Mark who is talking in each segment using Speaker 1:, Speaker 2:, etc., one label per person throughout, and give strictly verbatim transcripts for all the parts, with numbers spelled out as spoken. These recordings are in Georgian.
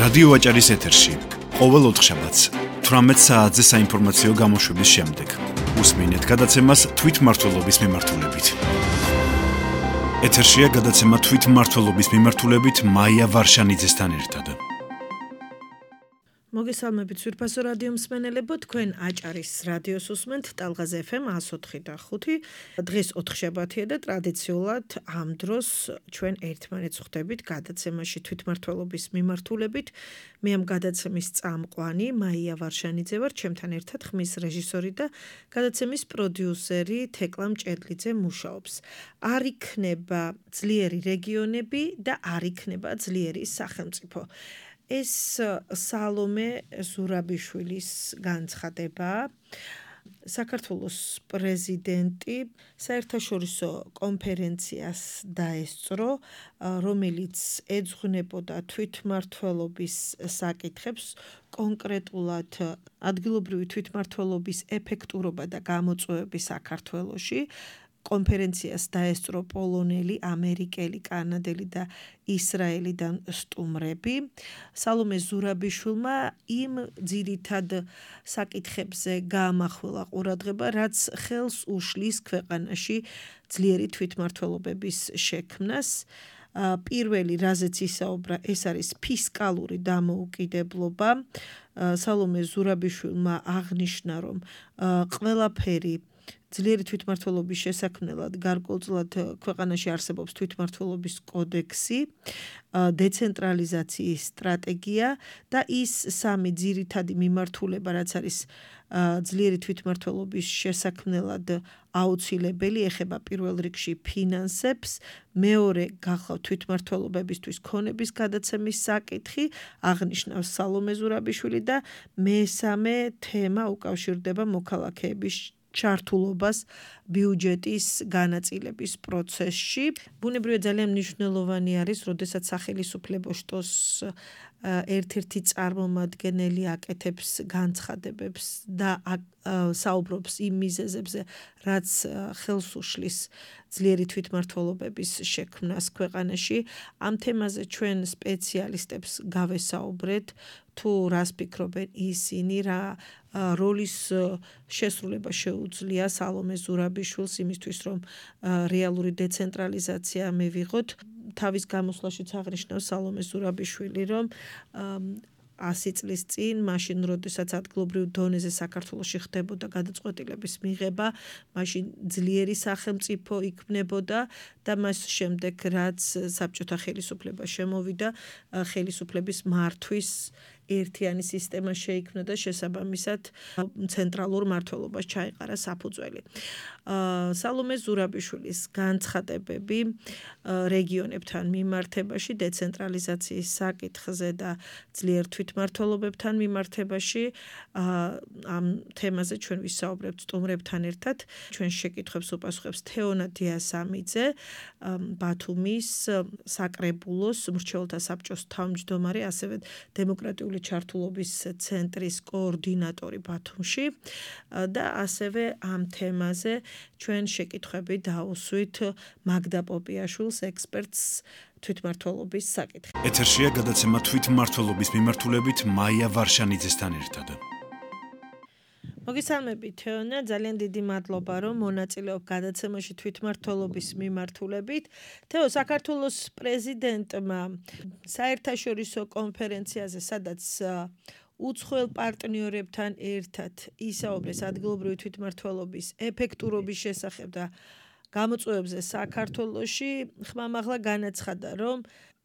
Speaker 1: რადიო აჭარის ეთერში ყოველ ოთხშაბათს თვრამეტ საათზე საინფორმაციო გამოშვების შემდეგ უსმინეთ გადაცემას თვითმმართველობის მიმართულებით. ეთერშია გადაცემა თვითმმართველობის მიმართულებით მაია ვარშანიძესთან ერთად.
Speaker 2: მოგესალმებით სვირფასო რადიო მსმენელებო, თქვენ აჭარის რადიოს უსმენთ ტალღაზე ეფ ემ εκατს ოთხი და ხუთი. დღეს ოთხშაბათია და ტრადიციულად ამ დროს ჩვენ ერთმანეთს ხვდებით გადაცემაში თვითმმართველობის მიმართულებით. მე ამ გადაცემის წამყვანი მაია ვარშანიძე ვარ, ჩემთან ერთად ხმის რეჟისორი და გადაცემის პროდიუსერი თეკლა მჭედლიძე მუშაობს. არ იქნება ძლიერი რეგიონები და არ იქნება ძლიერი სახელმწიფო. ეს სალომე ზურაბიშვილის განცხადება. საქართველოს პრეზიდენტი საერთაშორისო კონფერენციას დაესწრო, რომელიც ეძღვნებოდა თვითმმართველობის საკითხებს, კონკრეტულად ადგილობრივი თვითმმართველობის ეფექტურობა და გამოწვევები საქართველოში. კონფერენციას დაესწრო პოლონელი, ამერიკელი, კანადელი და ისრაელიდან სტუმრები. სალომე ზურაბიშვილმა იმ ძირითად საკითხებზე გაამახვილა ყურადღება, რაც ხელს უშლის ქვეყანაში ძლიერი თვითმმართველობების შექმნას. პირველი, რაზეც ისაუბრა, ეს არის ფისკალური დამოუკიდებლობა. სალომე ზურაბიშვილმა აღნიშნა, რომ ყველაფერი ძლიერი თვითმმართველობის შესაქმნელად გარკვეულწილად ქვეყანაში არსებობს თვითმმართველობის კოდექსი, დეცენტრალიზაციის სტრატეგია და ის სამი ძირითადი მიმართულება, რაც არის ძლიერი თვითმმართველობის შესაქმნელად აუცილებელი, ეხება პირველ რიგში ფინანსებს, მეორე გახლავთ თვითმმართველობებისთვის ქონების გადაცემის საკითხი, აღნიშნავს სალომე ზურაბიშვილი და მესამე თემა უკავშირდება მოქალაქეების ჩართულობას ბიუჯეტის განაწილების პროცესში. ბუნებრივია ძალიან მნიშვნელოვანი არის, როდესაც სახელმწიფო შტოს ერთ-ერთი წარმომადგენელი აკეთებს განცხადებებს და საუბრობს იმ მიზეზებზე, რაც ხელს უშლის ძლიერი თვითმმართველობების შექმნას ქვეყანაში. ამ თემაზე ჩვენ სპეციალისტებს გავესაუბრეთ, თუ რას ფიქრობენ ისინი, რა როლის შესრულება შეუძლია სალომე ზურაბიშვილს იმისთვის, რომ რეალური დეცენტრალიზაცია მივიღოთ. თავის გამოსვლაშიც აღნიშნავს სალომე ზურაბიშვილი, რომ ასი წლის წინ, მაშინ, როდესაც ადგილობრივ დონეზე საქართველოში ხდებოდა გადაწყვეტილების მიღება, მაშინ ძლიერი სახელმწიფო იქმნებოდა და მას შემდეგ, რაც საბჭოთა ხელისუფლება შემოვიდა, ხელისუფლების მართვის ერთიანი სისტემა შეიქმნა და შესაბამისად ცენტრალურ მმართველობას ჩაეყარა საფუძველი. სალომე ზურაბიშვილის განცხადებები რეგიონებთან მიმართებაში, დეცენტრალიზაციის საკითხზე და ძლიერ თვითმმართველობებთან მიმართებაში, ამ თემაზე ჩვენ ვისაუბრებთ სტუმრებთან ერთად. ჩვენ შეკითხვებს უპასუხებს თეონა დიასამიძე, ბათუმის საკრებულოს მრჩეველთა საბჭოს თავმჯდომარე, ასევე დემოკრატიული ჩართულობის ცენტრის კოორდინატორი ბათუმში და ასევე ამ თემაზე ჩვენ შეკითხვები დავუსვით მაგდა პოპიაშვილს, ექსპერტს თვითმმართველობის საკითხი.
Speaker 1: ეთერშია გადაცემა თვითმმართველობის მიმართულებით მაია ვარშანიძესთან ერთად.
Speaker 2: მოგესალმებით თეონა, ძალიან დიდი მადლობა, რომ მონაწილეობ გადაცემაში თვითმმართველობის მიმართულებით. თეო, საქართველოს პრეზიდენტმა საერთაშორისო კონფერენციაზე, სადაც უცხოელ პარტნიორებთან ერთად ისაუბრეს ადგილობრივი თვითმმართველობის ეფექტურობის შესახებ და გამოწვევებზე საქართველოში, ხმამაღლა განაცხადა, რომ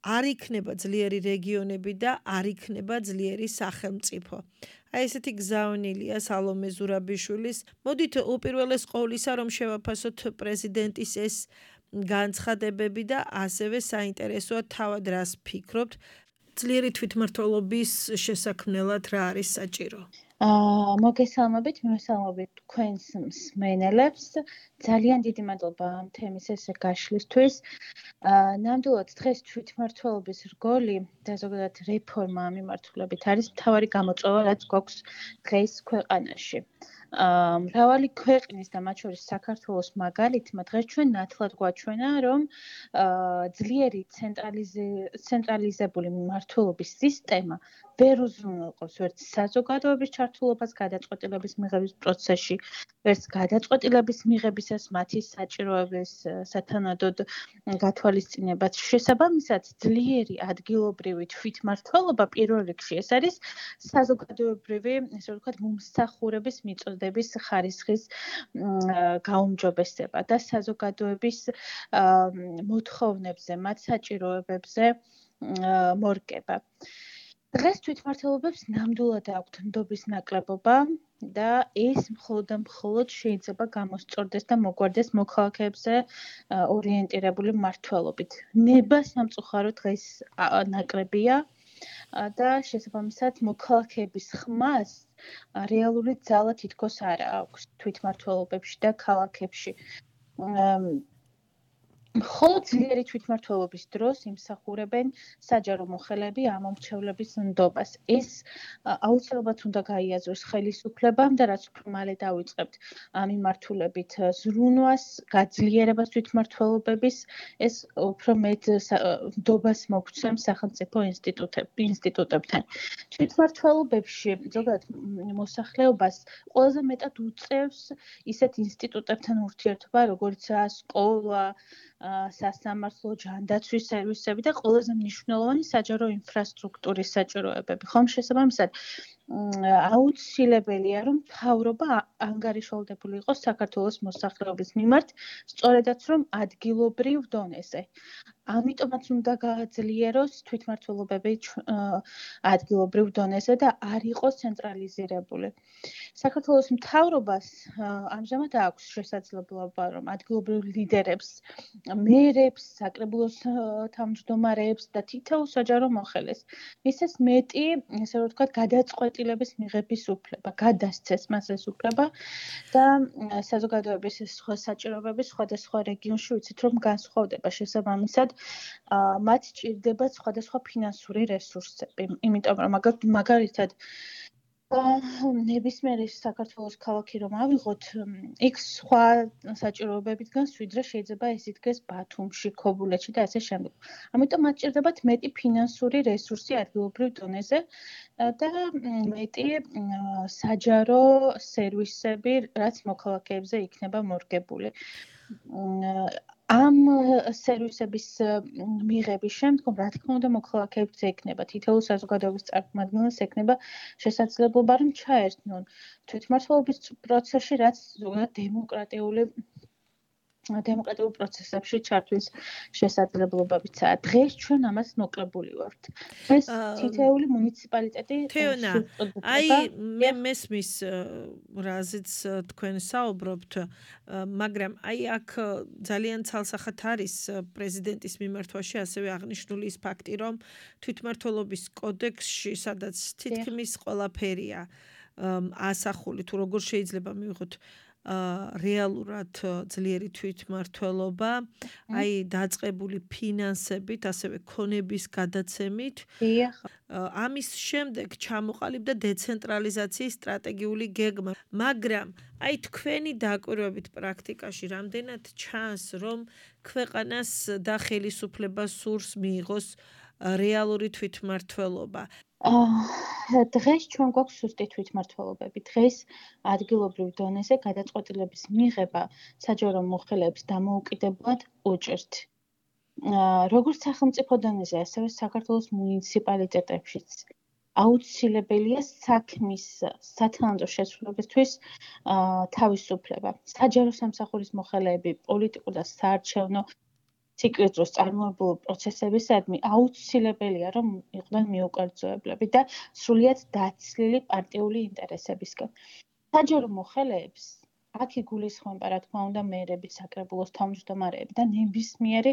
Speaker 2: არ იქნება ძლიერი რეგიონები და არ იქნება ძლიერი სახელმწიფო. აი ესეთი გზავნილია სალომე ზურაბიშვილის. მოდით უპირველეს ყოვლისა, რომ შევაფასოთ პრეზიდენტის ეს განცხადებები და ასევე საინტერესოა თავად რას ფიქრობთ, ძლიერი თვითმმართველობის შესაქმნელად რა არის საჭირო.
Speaker 3: მოგესალმებით, მივესალმებით თქვენს მსმენელებს. ძალიან დიდი მადლობა ამ თემის ესე გაშლისთვის. ნამდვილად დღეს თვითმმართველობის რგოლი და ზოგადად რეფორმა ამ მიმართულებით არის მთავარი გამოწვევა, რაც გვაქვს დღეს ქვეყანაში. მრავალი ქვეყნის და მათ შორის საქართველოს მაგალითმა დღეს ჩვენ ნათლად გვაჩვენა, რომ ძლიერი ცენტრალიზებული მმართველობის სისტემა ვერ უზრუნველყოფს ვერც საზოგადოების ჩართულობას გადაწყვეტილების მიღების პროცესში, ვერც გადაწყვეტილების მიღებისას მათი საჭიროების სათანადოდ გათვალისწინებაც. შესაბამისად, ძლიერი ადგილობრივი თვითმმართველობა პირველ რიგში ეს არის საზოგადოებრივი, ესე ვთქვათ, მომსახურების მიწოდების ხარისხის გაუმჯობესება და საზოგადოების მოთხოვნებზე, მათ საჭიროებებზე მორგება. დღეს თვითმმართველობებს ნამდვილად აქვთ ნდობის ნაკლებობა და ეს მხოლოდ და მხოლოდ შეიძლება გამოსწორდეს და მოგვარდეს მოქალაქეებზე ორიენტირებული მმართველობით. ნება სამწუხარო დღეს ნაკლებია და შესაბამისად მოქალაქეების ხმას რეალური ძალა თითქოს არ აქვს თვითმმართველობებში და ქალაქებში. მხოლოდ ძლიერი თვითმმართველობის დროს იმსახურებენ საჯარო მოხელეები ამომრჩევლების ნდობას. ეს აუცილებლად უნდა გაიაზროს ხელისუფლებამ და რაც უფრო მალე დავიწყებთ მიმართულებით ზრუნვას, გაძლიერებას თვითმმართველობების, ეს უფრო მეტ ნდობას მოგცემს სახელმწიფო ინსტიტუტებთან. თვითმმართველობებში ზოგადად მოსახლეობას ყველაზე მეტად უწევს ისეთ ინსტიტუტებთან ურთიერთობა, როგორიცაა სკოლა, სასამართლო, ჯანდაცვის სერვისები და ყველაზე მნიშვნელოვანი საჯარო ინფრასტრუქტურის საჭიროებები. ხომ შესაბამისად, აუცილებელია, რომ მთავრობა ანგარიშვალდებული იყოს საქართველოს მოსახლეობის მიმართ, სწორედაც რომ ადგილობრივ დონეზე. ამიტომაც უნდა გააძლიეროს თვითმმართველობები ადგილობრივ დონეზე და არ იყოს ცენტრალიზირებული. საქართველოს მთავრობას ამჟამად აქვს შესაძლებლობა, რომ ადგილობრივ ლიდერებს, მერებს, საკრებულოს თავმჯდომარეებს და თითოეულ საჯარო მოხელეს მისცეს მეტი, ესე ვთქვათ, გადაწყვეტილების მიღების უფლება, გადასცეს მას ეს უფლება და საზოგადოების სხვა საჭიროებები სხვადასხვა რეგიონში ვიცით, რომ განსხვავდება. შესაბამისად, მათ სჭირდებათ სხვადასხვა ფინანსური რესურსები. იმიტომ რომ მაგალითად ნებისმიერი საქართველოს ქალაქი რომ ავიღოთ, იქ სხვა საჭიროებებით განს ვიდრე შეიძლება ეს იდგეს ბათუმში, ქობულეთში და ასე შემდეგ. ამიტომ მათ სჭირდებათ მეტი ფინანსური რესურსი ადგილობრივ დონეზე და მეტი საჯარო სერვისები, რაც მოქალაქეებზე იქნება მორგებული. ამ სერვისების მიღების შემდგომ, რა თქმა უნდა, მოქალაქეებს ექნება, თითოეულ საზოგადოების წარმომადგენელს ექნება შესაძლებლობა, რომ ჩაერთონ თვითმმართველობის პროცესში, რაც ზოგადად დემოკრატიული დემოკრატიულ პროცესებში ჩართვის შესაძლებლობებიცაა. დღეს ჩვენ ამას მოკლებული ვართ. ეს თითოეული მუნიციპალიტეტი
Speaker 2: თეონა, აი მე მესმის რაზეც თქვენ საუბრობთ, მაგრამ აი აქ ძალიან ცალსახად არის პრეზიდენტის მიმართვაში ასევე აღნიშნული ის ფაქტი, რომ თვითმმართველობის კოდექსში, სადაც თითქმის ყველაფერია ასახული, თუ როგორ შეიძლება მივიღოთ რეალურად ძლიერი თვითმმართველობა, აი დაწყებული ფინანსებით, ასევე ქონების გადაცემით. ამის შემდეგ ჩამოყალიბდა დეცენტრალიზაციის სტრატეგიული გეგმა, მაგრამ აი თქვენი დაკვირვებით პრაქტიკაში რამდენად ჩანს, რომ ქვეყანას და ხელისუფლებას სურს მიიღოს რეალური თვითმმართველობა?
Speaker 3: დღეს ჩვენ გვაქვს სუსტი თვითმმართველობები. დღეს ადგილობრივ დონეზე გადაწყვეტილების მიღება საჯარო მოხელეებს დამოუკიდებლად უჭირთ. როგორც სახელმწიფო დონეზე, ასევე საქართველოს მუნიციპალიტეტებშიც აუცილებელია საქმის სათანადო შესრულებისთვის თავისუფლება. საჯარო სამსახურის მოხელეები პოლიტიკურ და საარჩევნო ციკლის დროს წარმოებული პროცესებისადმი აუცილებელია, რომ იყვნენ მიუკერძოებლები და სრულიად დაცლილი პარტიული ინტერესებისგან. საჯარო მოხელეებს აქ იგულისხმება, რა თქმა უნდა, მერები, საკრებულოს თავმჯდომარეები და ნებისმიერი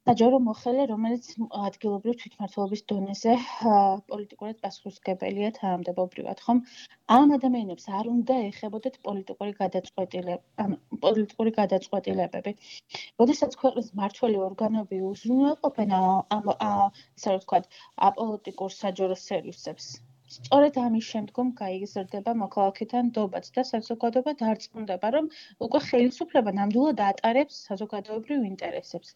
Speaker 3: საჯარო მოხელე, რომელიც ადგილობრივ თვითმმართველობის დონეზე პოლიტიკურად პასუხისმგებელია თანამდებობრივად, ხომ? ამ ადამიანებს არ უნდა ეხებოდეთ პოლიტიკური გადაწყვეტილებები, პოლიტიკური გადაწყვეტილებები. როდესაც ქვეყნის მმართველი ორგანოები უზრუნველყოფენ ამ, ასე ვთქვათ, აპოლიტიკურ საჯარო სერვისებს, სწორედ ამის შემდგომ გაიზრდება მოქალაქეთა ნდობაც და საზოგადოება დარწმუნდება, რომ უკვე ხელისუფლება ნამდვილად ატარებს საზოგადოებრივ ინტერესებს.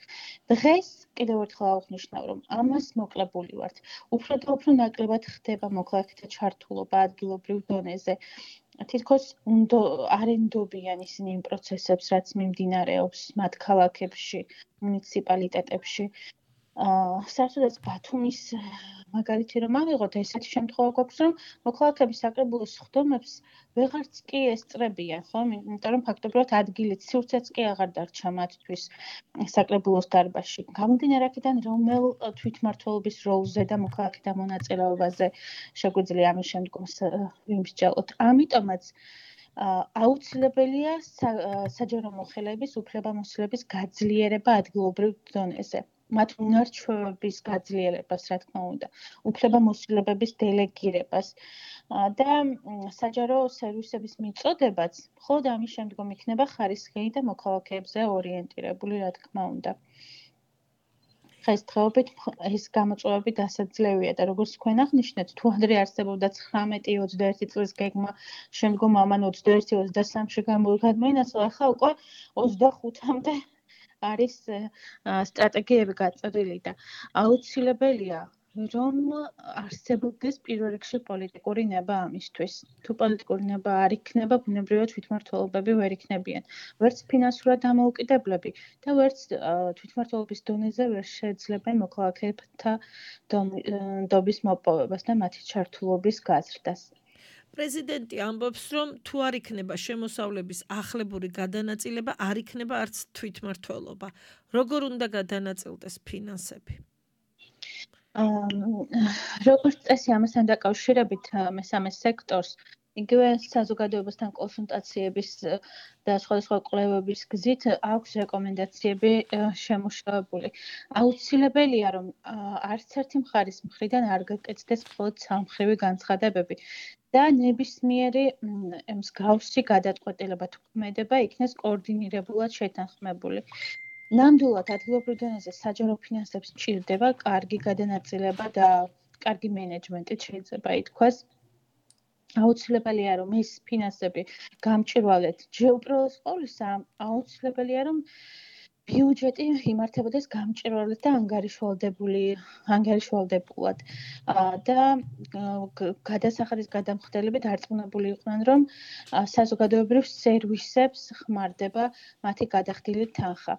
Speaker 3: დღეს კიდევ ერთხელ აღვნიშნავ, რომ ამას მოკლებული ვართ. უფრო და უფრო ნაკლებად ხდება მოქალაქეთა ჩართულობა ადგილობრივ დონეზე. თითქოს არ ენდობიან ისინი იმ პროცესებს, რაც მიმდინარეობს მათ ქალაქებში, მუნიციპალიტეტებში. საერთოდაც ბათუმის მაგალითი რომ ავიღოთ, ესეთი შემთხვევა გვაქვს, რომ მოქალაქეების საკრებულოს ხდომებს ვეღარც კი ესწრებიან, ხო? იმიტომ რომ ფაქტობრივად ადგილით სივრცეც კი აღარ დარჩა მათთვის საკრებულოს დარბაზში. გამომდინარე აქედან, რომელ თვითმმართველობის როლზე და მოქალაქეთა მონაწილეობაზე შეგვიძლია ამის შემდგომ ვიმსჯელოთ. ამიტომაც აუცილებელია საჯარო მოხელეების უფლებამოსილების გაძლიერება ადგილობრივ დონეზე. მათ უნარჩვევების გაძლიერებას, რა თქმა უნდა, უფლებამოსილებების დელეგირებას და საჯარო სერვისების მიწოდებაც მხოლოდ ამის შემდგომ იქნება ხარისხიანი და მოქალაქეებზე ორიენტირებული, რა თქმა უნდა. დღესდღეობით ეს გამოწვევები დასაძლევია და როგორც თქვენ აღნიშნეთ, თუ ადრე არსებობდა ცხრამეტი ოცდაერთი წლის გეგმა, შემდგომ ამან ოცდაერთი ოცდასამში გამოიგონებინა, ახლა უკვე ოცდახუთამდე არის სტრატეგიები გაწეული და აუცილებელია რომ არსებობდეს პირველ რიგში პოლიტიკური ნება ამისთვის. თუ პოლიტიკური ნება არ იქნება, ბუნებრივად თვითმმართველობები ვერ იქნებიან. ვერც ფინანსურად დამოუკიდებლები და ვერც თვითმმართველობის დონეზე ვერ შეეძლებენ მოქალაქეთა ნდობის მოპოვებას და მათი ჩართულობის გაზრდას.
Speaker 2: პრეზიდენტი ამბობს, რომ თუ არ იქნება შემოსავლების ახლებური გადანაწილება, არ იქნება არც თვითმმართველობა. როგორ უნდა გადანაწილდეს ფინანსები?
Speaker 3: როგორც წესი, ამასთან დაკავშირებით მესამე სექტორს იგივე საზოგადოებასთან კონსულტაციების და სხვადასხვა კვლევების გზით აქვს რეკომენდაციები შემუშავებული. აუცილებელია, რომ არც ერთი მხარის მხრიდან არ გაკეთდეს მხოლოდ სამხრივი განცხადებები და ნებისმიერი მსგავსი გადაწყვეტილება თუ ქმედება იქნეს კოორდინირებულად შეთანხმებული. ნამდვილად ადგილობრივ დონეზე საჯარო ფინანსებს სჭირდება კარგი გადანაწილება და კარგი მენეჯმენტით შეიძლება ითქვას. აუცილებელია რომ ეს ფინანსები გამჭირვალეთ. უპირველეს ყოვლისა, აუცილებელია რომ ბიუჯეტი იმართებოდეს გამჭირვალედ და ანგარიშვალდებული, ანგარიშვალდებულად. და გადასახადის გადამხდელები დარწმუნებული იყვნენ, რომ საზოგადოებრივ სერვისებს ხმარდება მათი გადახდილი თანხა.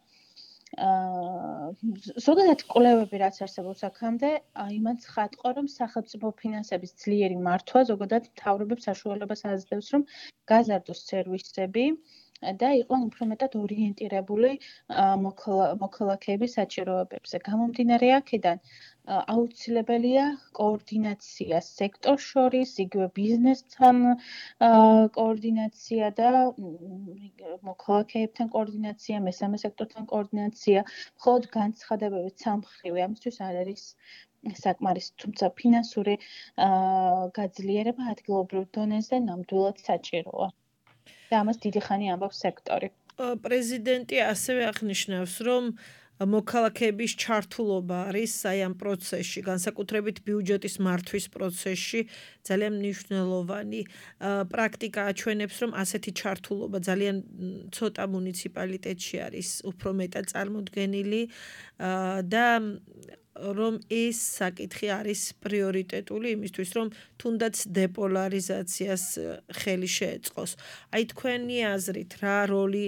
Speaker 3: ზოგადად კვლევები რაც არსებობს აქამდე, იმან ცხადყო, რომ სახელმწიფო ფინანსების ძლიერი მართვა ზოგადად მთავრობებს საშუალებას აძლევს, რომ გაზარდოს სერვისები და იყვნენ უფრო მეტად ორიენტირებული მოქალაქეების საჭიროებებზე. გამომდინარე აქედან, აუცილებელია კოორდინაცია სექტორ შორის, იგივე ბიზნესთან კოორდინაცია და მოქალაქეებთან კოორდინაცია, მესამე სექტორთან კოორდინაცია, მხოლოდ განცხადებებით სამმხრივი ამისთვის არ არის საკმარისი, თუმცა ფინანსური გაძლიერება ადგილობრივ დონეზე ნამდვილად საჭიროა. და ამას დიდი ხანი ამბობს სექტორი.
Speaker 2: პრეზიდენტი ასევე აღნიშნავს, რომ მოქალაქეების ჩართულობა არის აი ამ პროცესში, განსაკუთრებით ბიუჯეტის მართვის პროცესში ძალიან მნიშვნელოვანი. პრაქტიკა აჩვენებს, რომ ასეთი ჩართულობა ძალიან ცოტა მუნიციპალიტეტში არის უფრო მეტად წარმოდგენილი და რომ ეს საკითხი არის პრიორიტეტული იმისთვის, რომ თუნდაც დეპოლარიზაციას ხელი შეეწყოს. აი თქვენი აზრით, რა როლი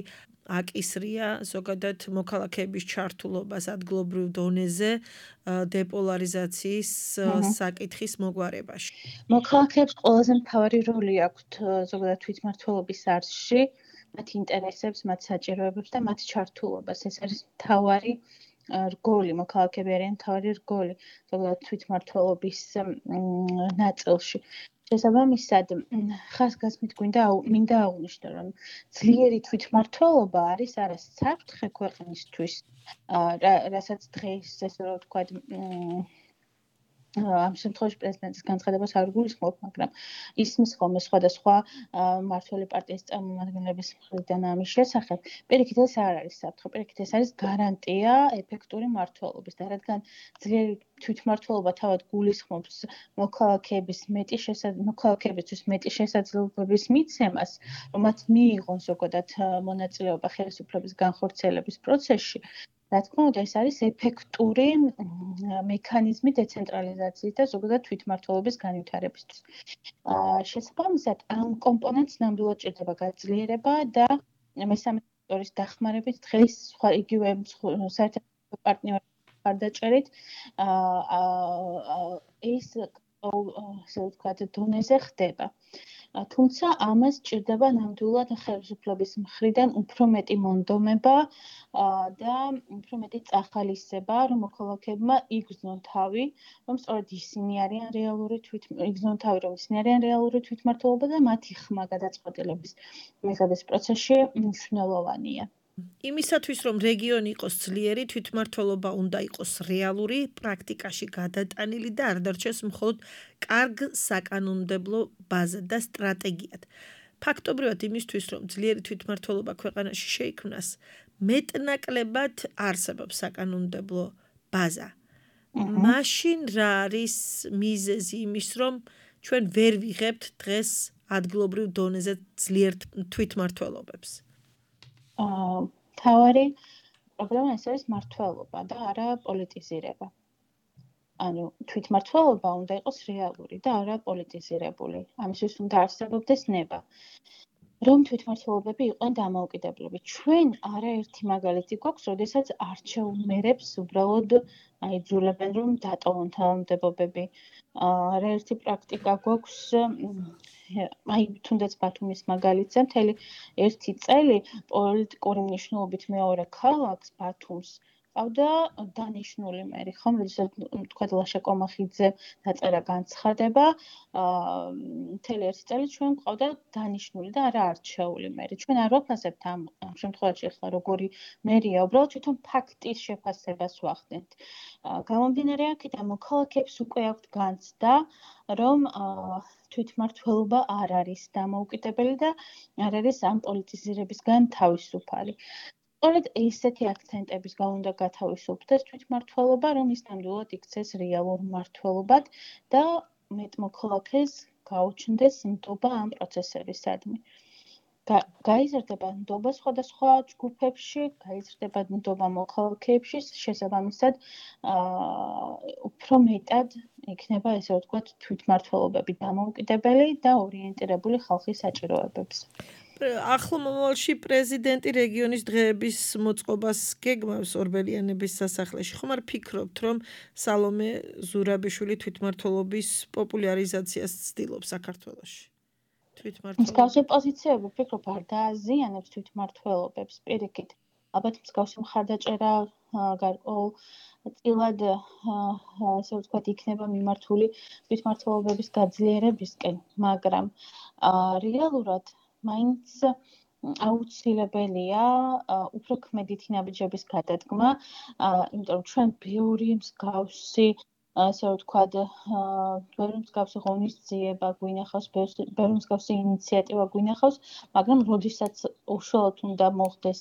Speaker 2: აკისრია ზოგადად მოქალაქეების ჩართულობას ადგილობრივ დონეზე დეპოლარიზაციის საკითხის მოგვარებაში?
Speaker 3: მოქალაქეებს ყველაზე მთავარი როლი აქვთ ზოგადად თვითმმართველობის არსში, მათ ინტერესებს, მათ საჭიროებებს და მათ ჩართულობას. ეს არის მთავარი რგოლი, მოქალაქეები არიან მთავარი რგოლი ზოგადად თვითმმართველობის ნაწილში. შესაბამისად, ხაზგასმით გვინდა მინდა აღვნიშნო, რომ ძლიერი თვითმმართველობა არის არა საფრთხე ქვეყნისთვის, რასაც დღეს ესე რომ ვთქვათ, ამ შემთხვევაში პრეზიდენტის განცხადებას არ გულისხმობ, მაგრამ ისმის ხოლმე სხვადასხვა მმართველი პარტიის წარმომადგენლების მხრიდან ამის შესახებ. პირიქით ეს არ არის საფრთხე, პირიქით ეს არის გარანტია ეფექტური მმართველობის და რადგან ძლიერი თვითმმართველობა თავად გულისხმობს მოქალაქეების მეტი მოქალაქეებისთვის მეტი შესაძლებლობების მიცემას, რომ მათ მიიღონ ზოგადად მონაწილეობა ხელისუფლების განხორციელების პროცესში. რა თქმა უნდა, ეს არის ეფექტური მექანიზმი დეცენტრალიზაციის და ზოგადად თვითმმართველობის განვითარებისთვის. შესაბამისად, ამ კომპონენტს ნამდვილად ჭირდება გაძლიერება და მესამე სექტორის დახმარებით დღეს სხვა იგივე საერთაშორისო პარტნიორების მხარდაჭერით ეს ასე ვთქვათ, დონეზე ხდება. თუმცა ამას ჭირდება ნამდვილად ხელისუფლების მხრიდან უფრო მეტი მონდომება და უფრო მეტი წახალისება, რომ მოქალაქეებმა იგრძნონ თავი, რომ სწორედ ისინი არიან რეალური იგრძნონ თავი, რომ ისინი არიან რეალური თვითმმართველობა და მათი ხმა გადაწყვეტილების მიღების პროცესში მნიშვნელოვანია.
Speaker 2: იმისათვის, რომ რეგიონი იყოს ძლიერი, თვითმმართველობა უნდა იყოს რეალური, პრაქტიკაში გადატანილი და არ დარჩეს მხოლოდ კარგ საკანონმდებლო ბაზად და სტრატეგიად. ფაქტობრივად იმისთვის, რომ ძლიერი თვითმმართველობა ქვეყანაში შეიქმნას, მეტნაკლებად არსებობს საკანონმდებლო ბაზა. მაშინ რა არის მიზეზი იმის, რომ ჩვენ ვერ ვიღებთ დღეს ადგილობრივ დონეზე ძლიერ თვითმმართველობებს?
Speaker 3: თავარი პრობლემა ეს არის მმართველობა და არა პოლიტიზირება. ანუ თვითმმართველობა უნდა იყოს რეალური და არა პოლიტიზირებული. ამისთვის უნდა არსებობდეს ნება. რომ თვითმმართველობები იყვნენ დამოუკიდებლები. ჩვენ არაერთი მაგალითი გვაქვს, როდესაც არჩეულ მერებს უბრალოდ აიძულებენ, რომ დატოვონ თანამდებობები. არაერთი პრაქტიკა გვაქვს აი თუნდაც ბათუმის მაგალითზე მთელი ერთი წელი პოლიტიკური მნიშვნელობით მეორე ქალაქს ბათუმს ყავდა დანიშნული მერი, ხომ, როდესაც თქვა ლაშა კომახიძე დაწერა განცხადება, მთელი ერთი წელი ჩვენ ყავდა დანიშნული და არა არჩეული მერი. ჩვენ არ ვაფასებთ ამ შემთხვევაში ახლა როგორი მერია, უბრალოდ თვითონ ფაქტის შეფასებას ვახდენთ. გამომდინარე აქედან მოქალაქეებს უკვე აქვთ განცდა, რომ თვითმმართველობა არ არის დამოუკიდებელი და არ არის ამ პოლიტიზირებისგან თავისუფალი. სწორედ ესეთი აქცენტების გამო უნდა გათავისუფლდეს თვითმმართველობა, რომ ის ნამდვილად იქცეს რეალურ მმართველობად და მეტ მოქალაქეს გაუჩნდეს ნდობა ამ პროცესებისადმი. გაიზრდება ნდობა სხვადასხვა ჯგუფებში, გაიზრდება ნდობა მოქალაქეებში, შესაბამისად უფრო მეტად იქნება ესე ვთქვათ თვითმმართველობები დამოუკიდებელი და ორიენტირებული ხალხის საჭიროებებზე.
Speaker 2: ახლო მომავალში პრეზიდენტი რეგიონის დღეების მოწყობას გეგმავს ორბელიანების სასახლეში. ხომ არ ფიქრობთ, რომ სალომე ზურაბიშვილი თვითმმართველობის პოპულარიზაციას ცდილობს საქართველოში?
Speaker 3: მსგავსი პოზიციები ვფიქრობ არ დააზიანებს თვითმმართველობებს. პირიქით, ალბათ მსგავსი მხარდაჭერა გარკვეულ წილად ასე ვთქვათ იქნება მიმართული თვითმმართველობების გაძლიერებისკენ, მაგრამ რეალურად მაინც აუცილებელია უფრო ქმედითი ნაბიჯების გადადგმა, იმიტომ რომ ჩვენ ბევრი მსგავსი ასე ვთქვათ, ბევრი მსგავსი ღონისძიება გვინახავს, ბევრი მსგავსი ინიციატივა გვინახავს, მაგრამ როდესაც უშუალოდ უნდა მოხდეს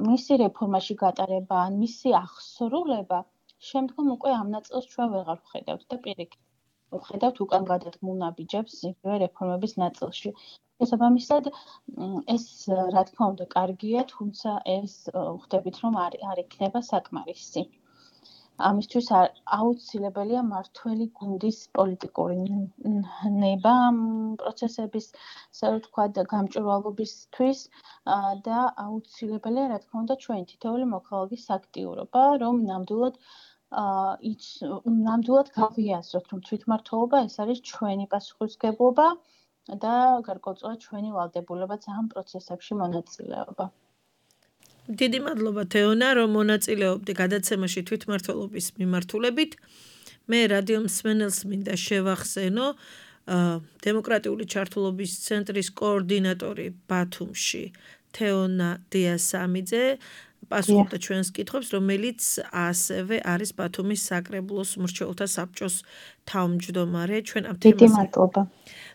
Speaker 3: მისი რეფორმაში გატარება ან მისი აღსრულება, შემდგომ უკვე ამ ნაწილს ჩვენ ვეღარ ვხედავთ და პირიქით ვხედავთ უკან გადადგმულ ნაბიჯებს იგივე რეფორმების ნაწილში. შესაბამისად, ეს რა თქმა უნდა კარგია, თუმცა ეს ხვდებით, რომ არ არ იქნება საკმარისი. ამისთვის აუცილებელია მართველი გუნდის პოლიტიკური ნება პროცესების, ასე ვთქვათ, გამჭვირვალობისთვის და აუცილებელია, რა თქმა უნდა, ჩვენი თითოეული მოქალაქის აქტიურობა, რომ ნამდვილად ნამდვილად გავიაზროთ, რომ თვითმმართველობა ეს არის ჩვენი პასუხისმგებლობა და გარკვეულწილად ჩვენი ვალდებულებაც ამ პროცესებში მონაწილეობა.
Speaker 2: დიდი მადლობა თეონა, რომ მონაწილეობდი გადაცემაში თვითმმართველობის მიმართულებით. მე რადიო მსმენელს მინდა შევახსენო დემოკრატიული ჩართულობის ცენტრის კოორდინატორი ბათუმში თეონა დიასამიძე პასუხობდა ჩვენს კითხვებს, რომელიც ასევე არის ბათუმის საკრებულოს მრჩეველთა საბჭოს თავმჯდომარე. ჩვენ ამ
Speaker 3: დიდი
Speaker 2: თემაზე
Speaker 3: მადლობა.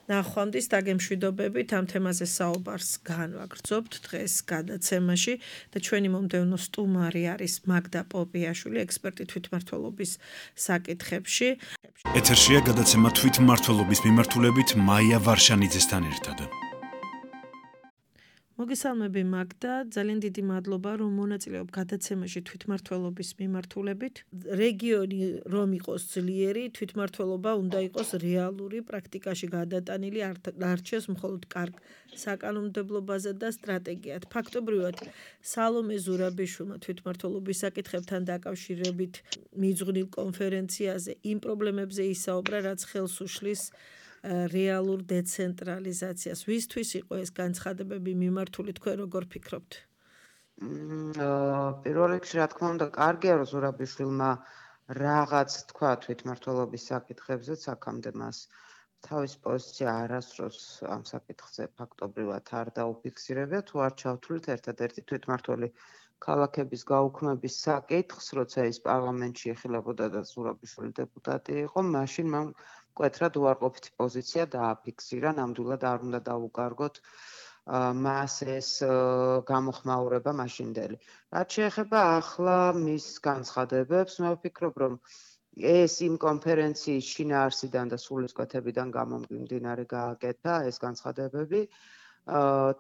Speaker 2: ნახვამდის დაგემშვიდობებით ამ თემაზე საუბარს განვაგრძობთ დღეს გადაცემაში და ჩვენი მომდევნო სტუმარი არის მაგდა პოპიაშვილი, ექსპერტი თვითმმართველობის საკითხებში.
Speaker 1: ეთერშია გადაცემა თვითმმართველობის მიმართულებით მაია ვარშანიძესთან ერთად.
Speaker 2: მოგესალმები მაგდა, ძალიან დიდი მადლობა რომ მონაწილეობ გადაცემაში თვითმმართველობის მიმართულებით. რეგიონი რომ იყოს ძლიერი, თვითმმართველობა უნდა იყოს რეალური, პრაქტიკაში გადატანილი, არ რჩეს მხოლოდ კარგ საკანონმდებლობაზე და სტრატეგიად. ფაქტობრივად სალომე ზურაბიშვილმა თვითმმართველობის საკითხებთან დაკავშირებით მიძღვნილ კონფერენციაზე იმ პრობლემებზე ისაუბრა, რაც ხელს უშლის რეალურ დეცენტრალიზაციას. ვისთვის იყო ეს განცხადებები მიმართული, თქვენ როგორ ფიქრობთ?
Speaker 4: პირველ რიგში, რა თქმა უნდა, კარგია რომ ზურაბიშვილმა რაღაც თქვა თვითმმართველობის საკითხებზე, აქამდე მას თავის პოზიცია არასდროს ამ საკითხზე ფაქტობრივად არ დაუფიქსირებია, თუ არ ჩავთვლით ერთადერთი თვითმმართველი ქალაქების გაუქმების საკითხს, როცა ის პარლამენტში ეხილებოდა და ზურაბიშვილი დეპუტატი იყო, მაშინ მან მკვეთრად უარყოფითი პოზიცია დააფიქსირა, ნამდვილად არ უნდა დაუკარგოთ მას ეს გამოხმაურება მაშინდელი. რაც შეეხება ახლა მის განცხადებებს, მე ვფიქრობ, რომ ეს იმ კონფერენციის შინაარსიდან და სულისკვეთებიდან გამომდინარე გააკეთა ეს განცხადებები.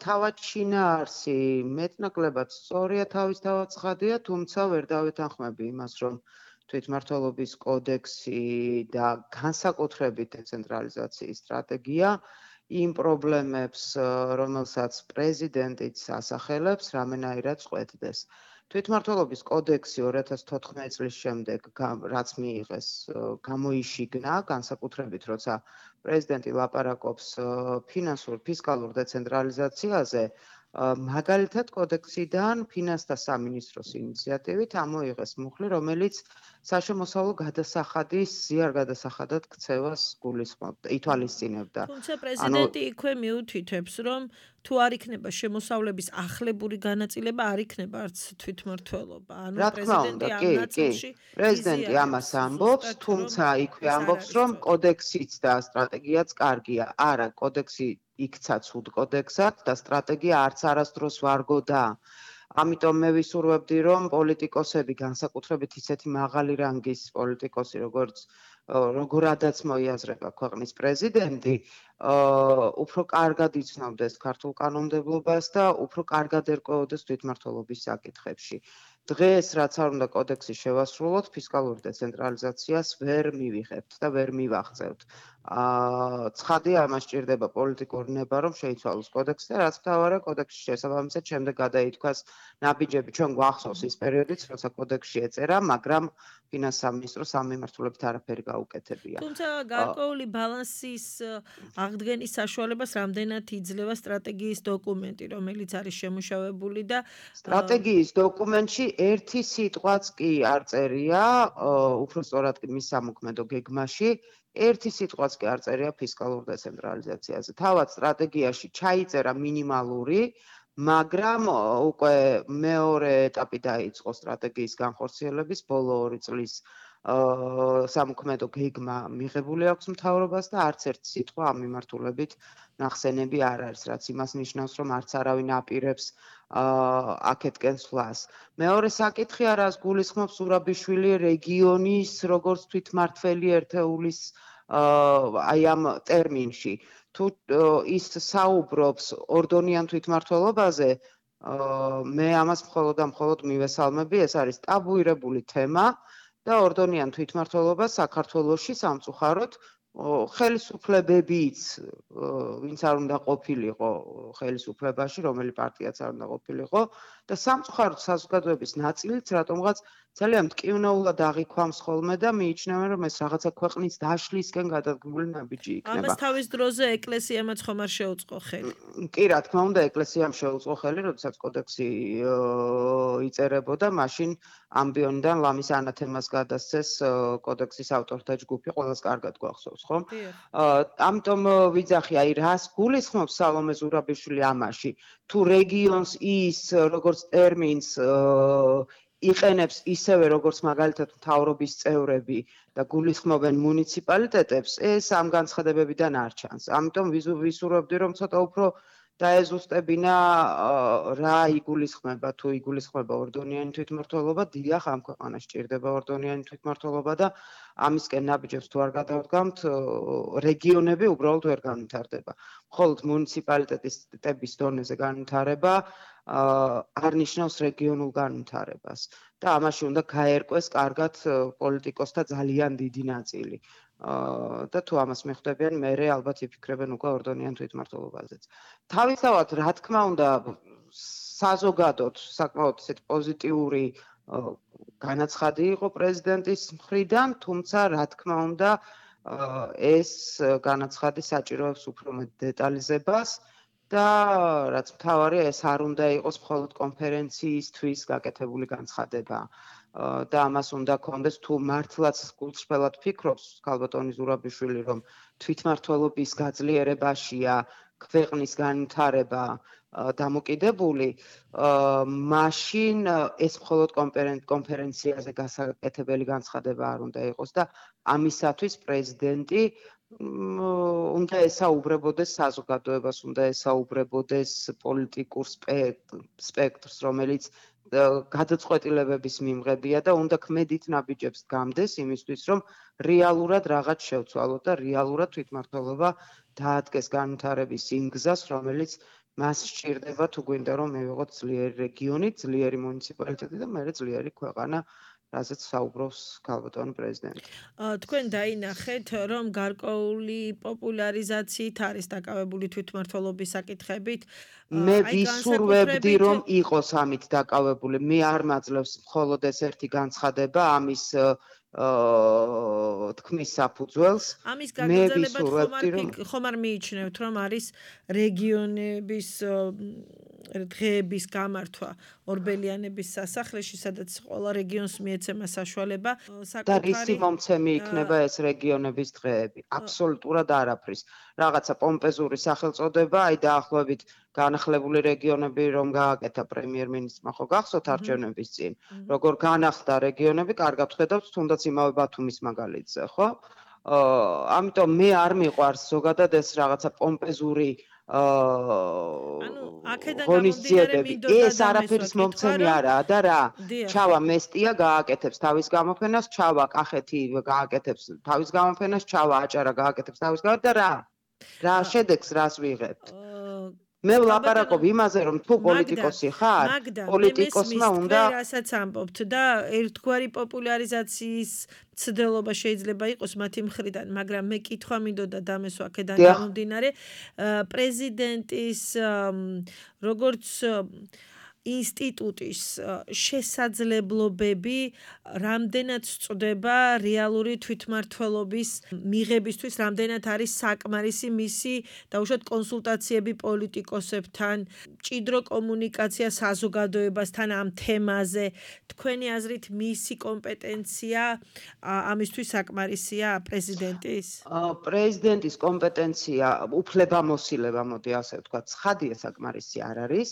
Speaker 4: თავად შინაარსი მეტნაკლებად სწორია, თავისთავად ცხადია, თუმცა ვერ დავეთანხმები იმას, რომ თვითმმართველობის კოდექსი და განსაკუთრებით დეცენტრალიზაციის სტრატეგია იმ პრობლემებს, რომელსაც პრეზიდენტიც ასახელებს, რამენაირად წყვეტდეს. თვითმმართველობის კოდექსი ორი ათას თოთხმეტი წლის შემდეგ, რაც მიიღეს, გამოიშიგნა, განსაკუთრებით, როცა პრეზიდენტი ლაპარაკობს ფინანსურ ფისკალურ დეცენტრალიზაციაზე, მაგალითად კოდექსიდან ფინანსთა სამინისტროს ინიციატივით ამოიღეს მუხლი, რომელიც საშემოსავლო გადასახადის ზიარ გადასახადად ქცევას გულისხმობდა, ითვალისწინებდა.
Speaker 2: თუმცა პრეზიდენტი იქვე მიუთითებს, რომ თუ არ იქნება შემოსავლების ახლებური განაწილება, არ იქნება არც თვითმმართველობა. ანუ პრეზიდენტი ამ ნაწილში
Speaker 4: პრეზიდენტი ამას ამბობს, თუმცა იქვე ამბობს, რომ კოდექსიც და სტრატეგიაც კარგია. არა, კოდექსი იქცა ცუდ კოდექსად და სტრატეგია არც არასდროს ვარგოდა. ამიტომ მე ვისურვებდი, რომ პოლიტიკოსები, განსაკუთრებით ისეთი მაღალი რანგის პოლიტიკოსი, როგორც როგორადაც მოიაზრება ქვეყნის პრეზიდენტი, უფრო კარგად იცნობდეს ქართულ კანონმდებლობას და უფრო კარგად ერკვეოდეს თვითმმართველობის საკითხებში. დღეს, რაც არ უნდა კოდექსი შევასრულოთ, ფისკალური დეცენტრალიზაციას ვერ მივიღებთ და ვერ მივაღწევთ. ცხადია, ამას სჭირდება პოლიტიკური ნება, რომ შეიცვალოს კოდექსი და რაც მთავარია, კოდექსის შესაბამისად შემდეგ გადაითქვას ნაბიჯები. ჩვენ გვახსოვს ის პერიოდიც, როცა კოდექსში ეწერა, მაგრამ ფინანსთა სამინისტროს ამ მიმართულებით არაფერი გაუკეთებია.
Speaker 2: თუმცა გარკვეული ბალანსის აღდგენის საშუალებას რამდენად იძლევა სტრატეგიის დოკუმენტი, რომელიც არის შემუშავებული და
Speaker 4: სტრატეგიის დოკუმენტში ერთი სიტყვაც კი არ წერია, უფრო სწორად მის სამოქმედო გეგმაში, ერთი სიტყვაც კი არ წერია ფისკალურ დეცენტრალიზაციაზე. თავად სტრატეგიაში ჩაიწერა მინიმალური, მაგრამ უკვე მეორე ეტაპი დაიწყო სტრატეგიის განხორციელების, ბოლო ორი წლის სამოქმედო გეგმა მიღებული აქვს მთავრობას და არც ერთი სიტყვა ამ მიმართულებით ნახსენები არ არის, რაც იმას ნიშნავს, რომ არც არავინ აპირებს აქეთკენ სვლას. მეორე საკითხი არას გულისხმობს ზურაბიშვილი რეგიონის როგორც თვითმმართველი ერთეულის აი ამ ტერმინში. თუ ის საუბრობს ორდონიან თვითმმართველობაზე, მე ამას მხოლოდ და მხოლოდ მივესალმები, ეს არის ტაბუირებული თემა და ორდონიან თვითმმართველობა საქართველოში სამწუხაროდ ხელისუფლებებიც, ვინც არ უნდა ყოფილიყო ხელისუფლებაში, რომელი პარტიაც არ უნდა ყოფილიყო და სამწუხაროდ საზოგადოების ნაწილიც რატომღაც ძალიან მტკივნეულად აღიქვამს ხოლმე და მიიჩნევენ, რომ ეს რაღაცა ქვეყნის დაშლისკენ გადადგმული ნაბიჯი იქნება.
Speaker 2: ამას თავის დროზე ეკლესიამაც ხომ არ შეუწყო ხელი.
Speaker 4: კი, რა თქმა უნდა, ეკლესიამ შეუწყო ხელი, როდესაც კოდექსი იწერებოდა, მაშინ ამბიონიდან ლამის ანათემას გადასცეს კოდექსის ავტორთა ჯგუფი, ყველას კარგად გვახსოვს, ხო? ამიტომ ვიძახი, აი რას გულისხმობს სალომე ზურაბიშვილი ამაში? თუ რეგიონს ის როგორც ტერმინს იყენებს ისევე როგორც მაგალითად მთავრობის წევრები და გულისხმობენ მუნიციპალიტეტებს, ეს ამ განცხადებებიდან არ ჩანს. ამიტომ ვისურვებდი, რომ ცოტა უფრო დაეზუსტებინა რა იგულისხმება, თუ იგულისხმება ორდონიანი თვითმმართველობა, დიახ, ამ ქვეყანაში ჭირდება ორდონიანი თვითმმართველობა და ამისკენ ნაბიჯებს თუ არ გადავდგამთ, რეგიონები უბრალოდ ვერ განვითარდება. მხოლოდ მუნიციპალიტეტების დონეზე განვითარება არ ნიშნავს რეგიონულ განვითარებას და ამაში უნდა გაერკვეს კარგად პოლიტიკოსთა ძალიან დიდი ნაწილი. და თუ ამას მიხვდებიან, მერე ალბათ იფიქრებენ უკვე ორდონიან თვითმმართველობაზეც. თავისთავად, რა თქმა უნდა, საზოგადოდ საკმაოდ ისეთ პოზიტიური განაცხადი იყო პრეზიდენტის მხრიდან, თუმცა რა თქმა უნდა, ეს განაცხადი საჭიროებს უფრო მეტ დეტალიზებას და რაც მთავარია, ეს არ უნდა იყოს მხოლოდ კონფერენციისთვის გაკეთებული განცხადება. და ამას უნდა კონდეს თუ მართლაც გულწრფელად ფიქრობს ქალბატონი ზურაბიშვილი, რომ თვითმმართველობის გაძლიერებაშია ქვეყნის განვითარება დამოკიდებული, მაშინ ეს მხოლოდ კონფერენციაზე გასაკეთებელი განცხადება არ უნდა იყოს და ამისათვის პრეზიდენტი უნდა ესაუბრებოდეს საზოგადოებას, უნდა ესაუბრებოდეს პოლიტიკურ სპექტრს, რომელიც გადაწყვეტილებების მიმღებია და უნდა ქმედით ნაბიჯებს გამდეს იმისთვის, რომ რეალურად რაღაც შევცვალოთ და რეალურად თვითმმართველობა დაადგეს განვითარების იმ გზას, რომელიც მას სჭირდება, თუ გვინდა რომ მივიღოთ ძლიერი რეგიონი, ძლიერი მუნიციპალიტეტი და მერე ძლიერი ქვეყანა, რაზეც საუბრობს ქალბატონი პრეზიდენტი.
Speaker 2: თქვენ დაინახეთ, რომ გარკვეული პოპულარიზაციით არის დაკავებული თვითმმართველობის საკითხებით.
Speaker 4: მე ვისურვებდი, რომ იყოს ამით დაკავებული. მე არ მაძლევს მხოლოდ ეს ერთი განცხადება ამის თქმის საფუძველს.
Speaker 2: ამის გაგრძელებად ხომ არ მიიჩნევთ, რომ არის რეგიონების დღეების გამართვა ორბელიანების სასახლეში, სადაც ყველა რეგიონს მიეცემა საშუალება.
Speaker 4: და რისი მომცემი იქნება ეს რეგიონების დღეები? აბსოლუტურად არაფრის. რაღაცა პომპეზური სახელწოდება, აი დაახლოებით განახლებული რეგიონები რომ გააკეთა პრემიერ-მინისტრმა, ხო გახსოვთ არჩევნების წინ, როგორ განახლდა რეგიონები, კარგად ხედავთ, თუნდაც იმავე ბათუმის მაგალითზე, ხო? ამიტომ მე არ მიყვარს ზოგადად ეს რაღაცა პომპეზური ღონისძიებები. ეს არაფრის მომცემი არაა და რა? ჩავა მესტია გააკეთებს თავის გამოფენას, ჩავა კახეთი გააკეთებს თავის გამოფენას, ჩავა აჭარა გააკეთებს თავის გამოფენას და რა? რა შედეგს რას ვიღებთ? მე ვლაპარაკობ იმაზე, რომ თუ პოლიტიკოსი ხარ, პოლიტიკოსმა უნდა
Speaker 2: რასაც ამბობთ და ერთგვარი პოპულარიზაციის ცდელობა შეიძლება იყოს მათი მხრიდან, მაგრამ მე კითხვა მინდოდა დამესვა აქედან გამომდინარე, პრეზიდენტის როგორც ინსტიტუტის შესაძლებლობები რამდენად სწდება რეალური თვითმმართველობის მიღებისთვის, რამდენად არის საკმარისი მისი დაუშვათ კონსულტაციები პოლიტიკოსებთან, მჭიდრო კომუნიკაცია საზოგადოებასთან ამ თემაზე. თქვენი აზრით მისი კომპეტენცია ამისთვის საკმარისია პრეზიდენტის?
Speaker 4: პრეზიდენტის კომპეტენცია, უფლებამოსილება, მოდი ასე ვთქვა, ცხადია საკმარისი არ არის.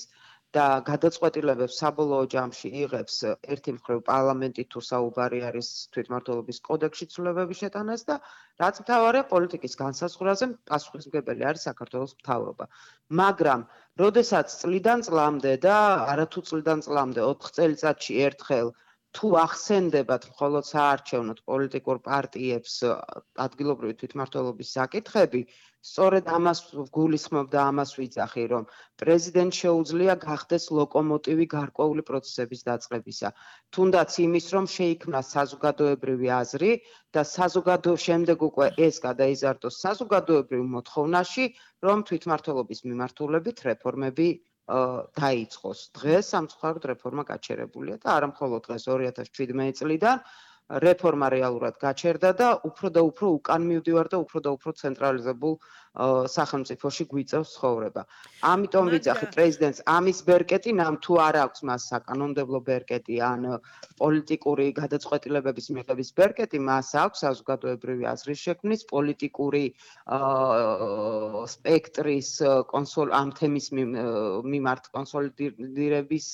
Speaker 4: და გადაწყვეტილებებს საბოლოო ჯამში იღებს ერთი მხრივ პარლამენტი თუ საუბარი არის თვითმმართველობის კოდექსში ცვლილებების შეტანას და რაც მთავარია პოლიტიკის განსაზღვრაზე პასუხისმგებელი არის საქართველოს მთავრობა. მაგრამ როდესაც წლიდან წლამდე და არათუ წლიდან წლამდე ოთხ წელიწადში ერთხელ თუ ახსენდებათ მხოლოდ საარჩევნოდ პოლიტიკურ პარტიებს ადგილობრივი თვითმმართველობის საკითხები, სწორედ ამას გულისხმობ და ამას ვიძახი, რომ პრეზიდენტს შეუძლია გახდეს ლოკომოტივი გარკვეული პროცესების დაწყებისა. თუნდაც იმის, რომ შეიქმნა საზოგადოებრივი აზრი და საზოგადო შემდეგ უკვე ეს გადაიზარდოს საზოგადოებრივ მოთხოვნაში, რომ თვითმმართველობის მიმართულებით რეფორმები დაიწყოს. დღეს სამწუხაროდ რეფორმა გაჩერებულია და არა მხოლოდ დღეს ორი ათას შვიდმეტი წლიდან რეფორმა რეალურად გაჩერდა და უფრო და უფრო უკან მივდივარ და უფრო და უფრო ცენტრალიზებულ სახელმწიფოში გვიწევს ცხოვრება. ამიტომ ვიძახი პრეზიდენტს ამის ბერკეტი, ნამ თუ არ აქვს მას საკანონმდებლო ბერკეტი ან პოლიტიკური გადაწყვეტილებების მიღების ბერკეტი, მას აქვს საზოგადოებრივი აზრის შექმნის, პოლიტიკური სპექტრის ამ თემის მიმართ კონსოლიდირების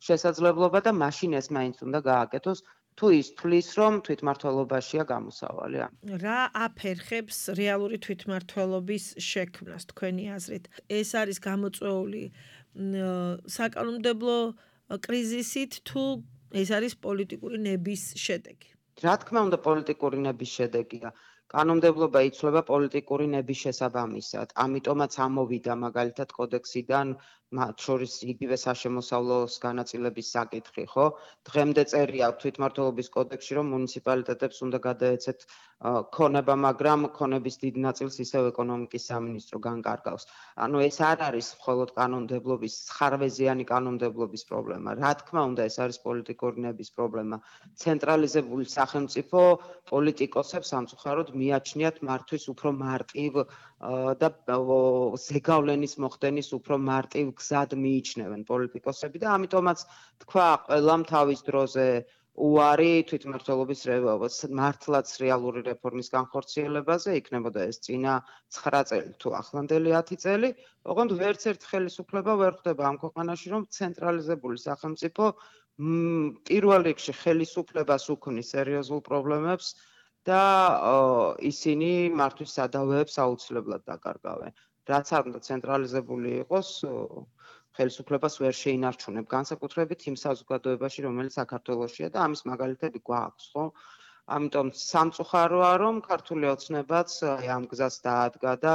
Speaker 4: შესაძლებლობა და მაშინ ეს მაინც უნდა გააკეთოს. თუ ის თulis რომ თვითმმართველობაშია გამოსავალი.
Speaker 2: რა აფერხებს რეალური თვითმმართველობის შექმნას თქვენი აზრით? ეს არის გამოწვეული საკანონმდებლო კრიზისით თუ ეს არის პოლიტიკური ნების შედეგი?
Speaker 4: რა თქმა უნდა პოლიტიკური ნების შედეგია. კანონმდებლობა იცვლება პოლიტიკური ნების შესაბამისად. ამიტომაც ამოვიდა მაგალითად კოდექსიდან მათ შორის იგივე საშემოსავლოს განაწილების საკითხი, ხო? დღემდე წერია თვითმმართველობის კოდექსში, რომ მუნიციპალიტეტებს უნდა გადაეცეთ ქონება, მაგრამ ქონების დიდ ნაწილს ისევ ეკონომიკის სამინისტრო განკარგავს. ანუ ეს არ არის მხოლოდ კანონმდებლობის, ხარვეზიანი კანონმდებლობის პრობლემა. რა თქმა უნდა, ეს არის პოლიტიკური ნების პრობლემა. ცენტრალიზებული სახელმწიფო პოლიტიკოსებს სამწუხაროდ მიაჩნიათ მართვის უფრო მარტივ და ზეგავლენის მოხდენის უფრო მარტივ გზად მიიჩნევენ პოლიტიკოსები და ამიტომაც თქვა ყველამ თავის დროზე უარი თვითმმართველობის მართლაც რეალური რეფორმის განხორციელებაზე, იქნებოდა ეს წინა ცხრა წელი თუ ახლანდელი ათი წელი, ოღონდ ვერც ერთ ხელისუფლება ვერ ხვდება ამ ქვეყანაში, რომ ცენტრალიზებული სახელმწიფო პირველ რიგში ხელისუფლებას უქმნის სერიოზულ პრობლემებს და ისინი მართვის სადავეებს აუცილებლად დაკარგავენ. რაც არ უნდა ცენტრალიზებული იყოს, ხელისუფლებას ვერ შეინარჩუნებ, განსაკუთრებით იმ საზოგადოებაში, რომელიც საქართველოშია და ამის მაგალითები გვაქვს, ხო? ამიტომ სამწუხაროა, რომ ქართული ოცნებაც ამ გზას დაადგა და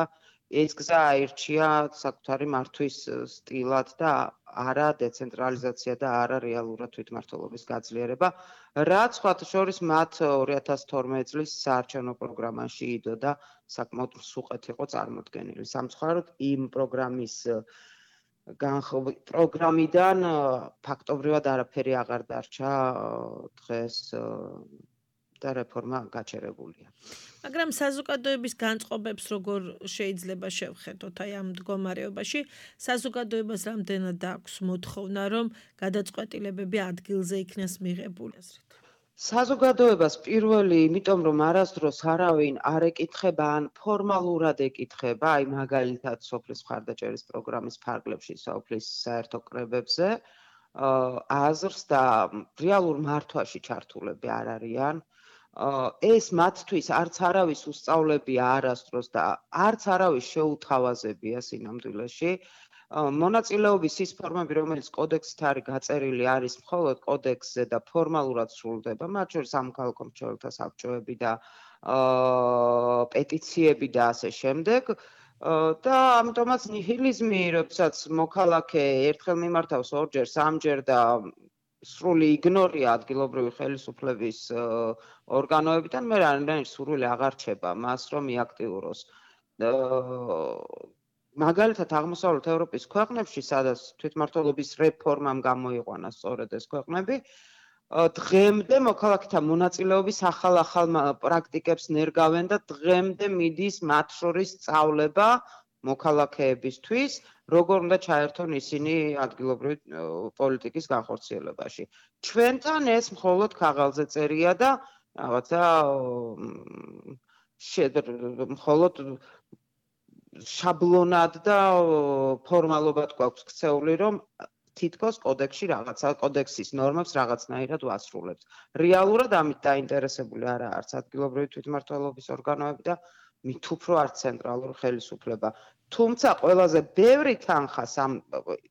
Speaker 4: ეს გზა აირჩია საკუთარი მართვის სტილად და არა დეცენტრალიზაცია და არა რეალურად თვითმმართველობის გაძლიერება, რაც სხვათა შორის მათ ორი ათას თორმეტი წლის საარჩევნო პროგრამაში იდო და საკმაოდ მსუყეთ იყო წარმოდგენილი. სამწუხაროდ იმ პროგრამის პროგრამიდან ფაქტობრივად არაფერი აღარ დარჩა დღეს და რეფორმა გაჩერებულია.
Speaker 2: მაგრამ საზოგადოების განწყობებს როგორ შეიძლება შევხედოთ აი ამ მდგომარეობაში? საზოგადოებას რამდენად აქვს მოთხოვნა, რომ გადაწყვეტილებები ადგილზე იქნას მიღებული?
Speaker 4: საზოგადოებას პირველი, იმიტომ რომ არასდროს არავინ არ ეკითხება ან ფორმალურად ეკითხება, აი მაგალითად სოფლის მხარდაჭერის პროგრამის ფარგლებში, სოფლის საერთო კრებებზე, აზრს და რეალურ მართვაში ჩართულები არ არიან. ეს მათთვის არც არავის უსწავლებია არასდროს და არც არავის შეუთავაზებია სინამდვილეში. მონაწილეობის ის ფორმები, რომელიც კოდექსით არის გაწერილი, არის მხოლოდ კოდექსზე და ფორმალურად სრულდება, მათ შორის სამოქალაქო მრჩეველთა საბჭოები და პეტიციები და ასე შემდეგ. და ამიტომაც ნიჰილიზმი, როდესაც მოქალაქე ერთხელ მიმართავს ორჯერ, სამჯერ და სრული იგნორია ადგილობრივი ხელისუფლების ორგანოებიდან, მე რამდენი სურვილი აღარ რჩება მას, რომ მიაქტიუროს. მაგალითად აღმოსავლეთ ევროპის ქვეყნებში, სადაც თვითმმართველობის რეფორმამ გამოიყვანა სწორედ ეს ქვეყნები, დღემდე მოქალაქეთა მონაწილეობის ახალ-ახალ პრაქტიკებს ნერგავენ და დღემდე მიდის მათ შორის სწავლება მოქალაქეებისთვის, როგორ უნდა ჩაერთონ ისინი ადგილობრივი პოლიტიკის განხორციელებაში. ჩვენთან ეს მხოლოდ ქაღალდზე წერია და რაღაცა მხოლოდ შაბლონად და ფორმალობად გვაქვს ქცეული, რომ თითქოს კოდექსში რაღაცა კოდექსის ნორმებს რაღაცნაირად ვასრულებთ. რეალურად ამით დაინტერესებული არა არც ადგილობრივი თვითმმართველობის ორგანოები და მით უფრო არც ცენტრალური ხელისუფლება. თუმცა ყველაზე ბევრი თანხა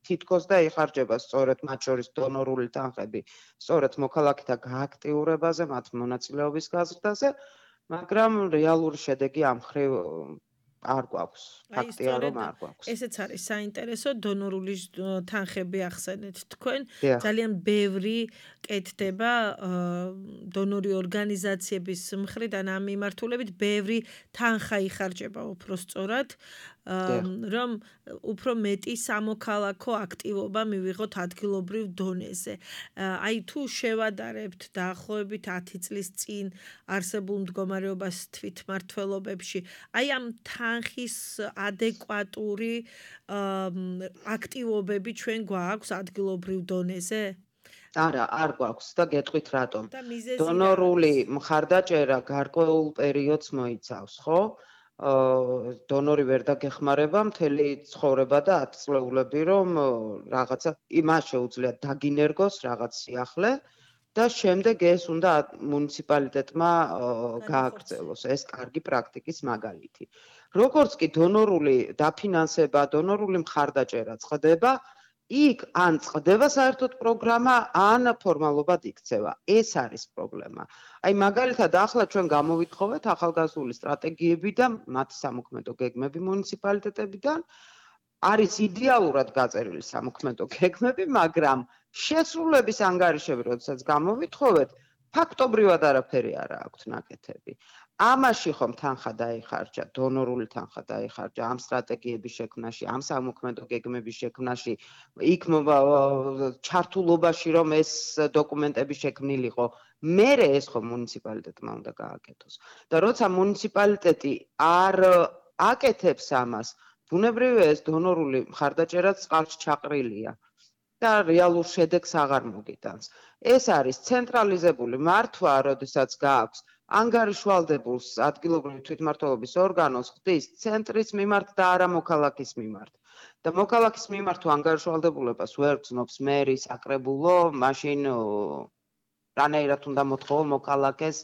Speaker 4: თითქოს და იხარჯება სწორედ მათ შორის დონორული თანხები, სწორედ მოქალაქეთა გააქტიურებაზე, მათ მონაწილეობის გაზრდაზე, მაგრამ რეალური შედეგი ამ მხრივ არ გვაქვს. ფაქტია რომ არ გვაქვს.
Speaker 2: ესეც არის საინტერესო, დონორული თანხები ახსენეთ თქვენ. ძალიან ბევრი კეთდება დონორი ორგანიზაციების მხრიდან ამ მიმართულებით, ბევრი თანხა იხარჯება უფრო სწორად რომ უფრო მეტი სამოქალაქო აქტივობა მივიღოთ ადგილობრივ დონეზე. აი თუ შევადარებთ დაახლოებით ათი წლის წინ არსებულ მდგომარეობას თვითმმართველობებში, აი ამ თანხის ადეკვატური აქტივობები ჩვენ გვაქვს ადგილობრივ დონეზე?
Speaker 4: არა, არ გვაქვს და გეტყვით რატომ. დონორული მხარდაჭერა გარკვეულ პერიოდს მოიცავს, ხო? დონორი ვერ დაგეხმარება მთელი ცხოვრება და ათწლეულები, რომ რაღაცა იმას შეუძლია დაგინერგოს რაღაც სიახლე და შემდეგ ეს უნდა მუნიციპალიტეტმა გააგრძელოს. ეს კარგი პრაქტიკის მაგალითი. როგორც კი დონორული დაფინანსება, დონორული მხარდაჭერა წყდება, იქ ან წყდება საერთოდ პროგრამა, ან ფორმალობად იქცევა. ეს არის პრობლემა. აი მაგალითად ახლა ჩვენ გამოვითხოვეთ ახალგაზრდული სტრატეგიები და მათი სამოქმედო გეგმები მუნიციპალიტეტებიდან. არის იდეალურად გაწერილი სამოქმედო გეგმები, მაგრამ შესრულების ანგარიშები, როდესაც გამოვითხოვეთ, ფაქტობრივად არაფერი არ აქვს ნაკეთები. ამაში ხომ თანხა დაიხარჯა, დონორული თანხა დაიხარჯა ამ სტრატეგიების შექმნაში, ამ სამოქმედო გეგმების შექმნაში, იქ ჩართულობაში რომ ეს დოკუმენტები შექმნილიყო, მერე ეს ხომ მუნიციპალიტეტმა უნდა გააკეთოს. და როცა მუნიციპალიტეტი არ აკეთებს ამას, ბუნებრივია ეს დონორული მხარდაჭერაც წყალში ჩაყრილია და რეალურ შედეგს აღარ მოგიტანს. ეს არის ცენტრალიზებული მართვა, როდესაც გააქვს ანგარიშვალდებულს ადგილობრივი თვითმმართველობის ორგანოს ხდის ცენტრის მიმართ და არა მოქალაქის მიმართ. და მოქალაქის მიმართ თუ ანგარიშვალდებულებას ვერ გზნობს მერი, საკრებულო, მაშინ რანაირად უნდა მოთხოვო მოქალაქეს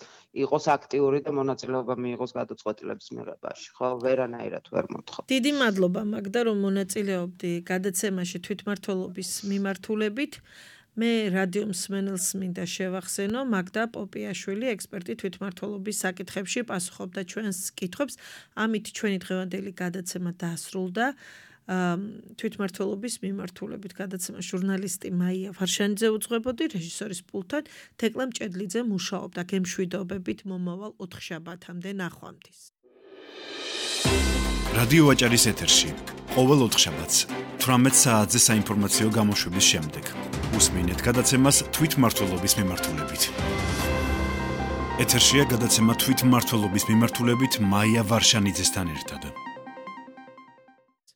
Speaker 4: იყოს აქტიური და მონაწილეობა მიიღოს გადაწყვეტილების მიღებაში. ხო, ვერანაირად ვერ მოთხოვ.
Speaker 2: დიდი მადლობა მაგდა, რომ მონაწილეობდი გადაცემაში თვითმმართველობის მიმართულებით. მე რადიო მსმენელს მინდა შევახსენო, მაგდა პოპიაშვილი, ექსპერტი თვითმმართველობის საკითხებში, პასუხობდა ჩვენს კითხვებს. ამით ჩვენი დღევანდელი გადაცემა დასრულდა. თვითმმართველობის მიმართულებით გადაცემა ჟურნალისტი მაია ვარშანიძე უძღვებოდი, რეჟისორის პულტთან თეკლე მჭედლიძე მუშაობდა. გემშვიდობებით მომავალ ოთხშაბათამდე ნახვამდის.
Speaker 1: რადიო ვაჭარის ეთერში ყოველ ოთხშაბათს თვრამეტ საათზე საინფორმაციო გამოშვების შემდეგ უსმინეთ გადაცემას თვითმმართველობის მიმართულებით. ეთერშია გადაცემა თვითმმართველობის მიმართულებით მაია ვარშანიძესთან ერთად.